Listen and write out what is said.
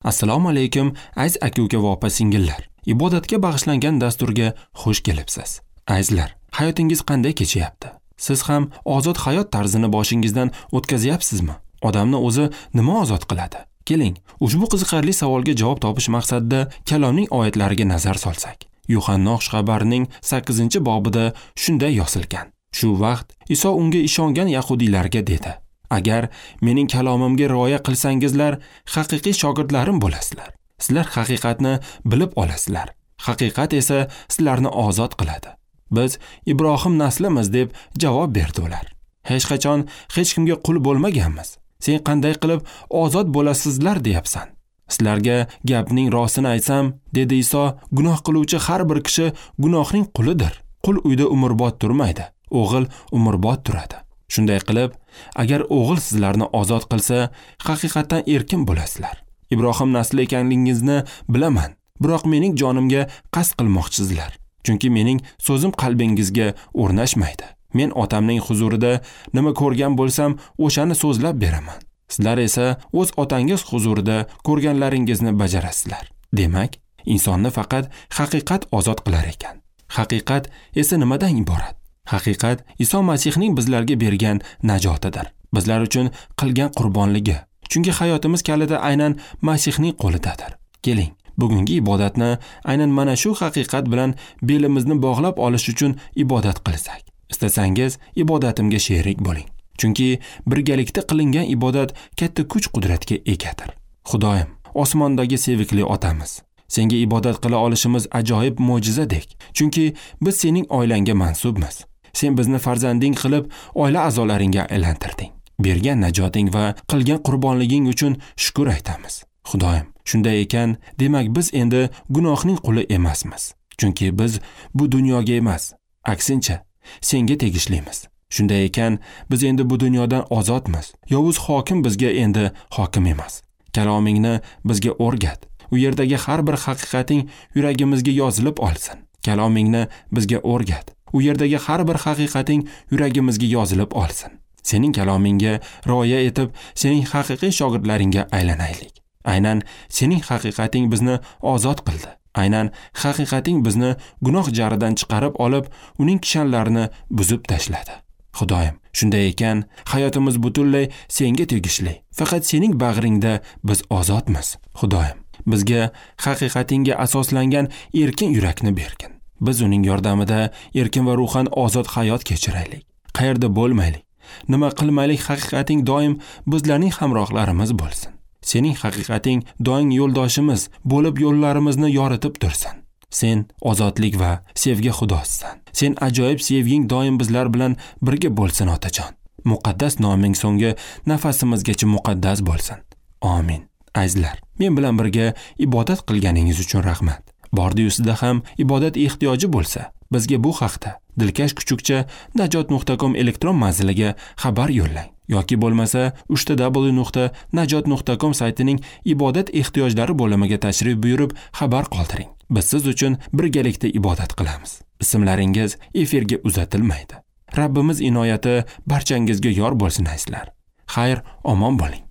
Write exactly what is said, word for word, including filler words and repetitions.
Assalomu alaykum aziz aka-uka va opa-singillar. Ibodatga bag'ishlangan dasturga xush kelibsiz. Azizlar, hayotingiz qanday kechyapti? Siz ham ozod hayot tarzini boshingizdan o'tkazyapsizmi? Odamni o'zi nima ozod qiladi? Keling, ushbu qiziqarli savolga javob topish maqsadida kalomning oyatlariga nazar solsak. Yuhanna xushxabarining sakkizinchi bobida shunday yozilgan. Shu vaqt Iso unga ishongan yahudiylarga dedi: Agar mening kalomimga rioya qilsangizlar, haqiqiy shogirdlarim bo'lasizlar. Sizlar haqiqatni bilib olasizlar. Haqiqat esa sizlarni ozod qiladi. Biz Ibrohim naslimiz deb javob berdi ular. Hech qachon hech kimga qul bo'lmaganmiz. Sen qanday qilib ozod bo'lasizlar deyapsan? Sizlarga gapning rostini aytsam, dedi Iso, gunoh qiluvchi har bir kishi gunohning qulidir. Qul uyda umrbod turmaydi, o'g'il umrbod turadi. Shunday qilib, agar o'g'il sizlarni ozod qilsa, haqiqatdan erkin bo'lasizlar. Ibrohim nasli ekanligingizni bilaman, biroq mening jonimga qasd qilmoqchisizlar. Chunki mening so'zim qalbingizga o'rnashmaydi. Men otamning huzurida nima ko'rgan bo'lsam, o'shani so'zlab beraman. Sizlar esa o'z otangiz huzurida ko'rganlaringizni bajarasizlar. Demak, insonni faqat haqiqat ozod qilar ekan. Haqiqat esa nimadan iborat? Haqiqat Iso Masihning bizlarga bergan najotidir. Bizlar uchun qilgan qurbonligi. Chunki hayotimiz kaliti aynan Masihning qo'lidadir. Keling, bugungi ibodatni aynan mana shu haqiqat bilan belimizni bog'lab olish uchun ibodat qilsak. Istasangiz ibodatimga sherik bo'ling. Chunki birgalikda qilingan ibodat katta kuch-qudratga egadir. Xudoyim, osmondagi sevikli otamiz, senga ibodat qila olishimiz ajoyib mo'jizadek. Chunki biz sening oilangga mansubmiz. Sen bizni farzanding qilib, oila a'zolaringga aylantirding. Bergan najoting va qilgan qurbonliging uchun shukr aytamiz. Xudoyim, shunday ekan, demak biz endi gunohning quli emasmiz. Chunki biz bu dunyoga emas, aksincha senga tegishlimiz. Shunday ekan, biz endi bu dunyodan ozodmiz. Yovuz hokim bizga endi hokim emas. Kalomingni bizga o'rgat. U yerdagi har bir haqiqating yuragimizga yozilib olsin. Kalomingni bizga o'rgat. U yerdagi har bir haqiqating yuragimizga yozilib olsin. Sening kalomingga rioya etib, sening haqiqiy shogirdlaringga aylanaylik. Aynan sening haqiqating bizni ozod qildi. Aynan haqiqating bizni gunoh jaridan chiqarib olib, uning kishanlarini buzib tashladi. Xudoyim, shunday ekan, hayotimiz butunlay senga tegishli. Faqat sening bag'ringda biz ozodmiz. Xudoyim, bizga haqiqatingga asoslangan erkin yurakni bergin. Biz uning yordamida erkin va ruhan ozod hayot kechiraylik. Qayerda bo'lmaylik, nima qilmaylik, haqiqating doim bizlarning hamrohlarimiz bo'lsin. Sening haqiqating doim yo'ldoshimiz bo'lib yo'llarimizni yoritib tursin. Sen ozodlik va sevgi xudosisan. Sen ajoyib sevging doim bizlar bilan birga bo'lsin, otajon. Muqaddas noming so'nggi nafasimizgacha muqaddas bo'lsin. Amin. Azizlar, men bilan birga ibodat qilganingiz uchun rahmat. Bordi-yu sizda ham ibodat ehtiyoji bo'lsa, bizga bu haqda dilkash kuchukcha najot nuqta com elektron manziliga xabar yo'llang yoki bo'lmasa uch ta w nuqta najot nuqta com saytining ibodat ehtiyojlari bo'limiga tashrif buyurib xabar qoldiring. Biz siz uchun birgalikda ibodat qilamiz. Ismlaringiz efirga uzatilmaydi. Rabbimiz inoyati barchangizga yor bo'lsin azizlar. Xayr, omon bo'ling.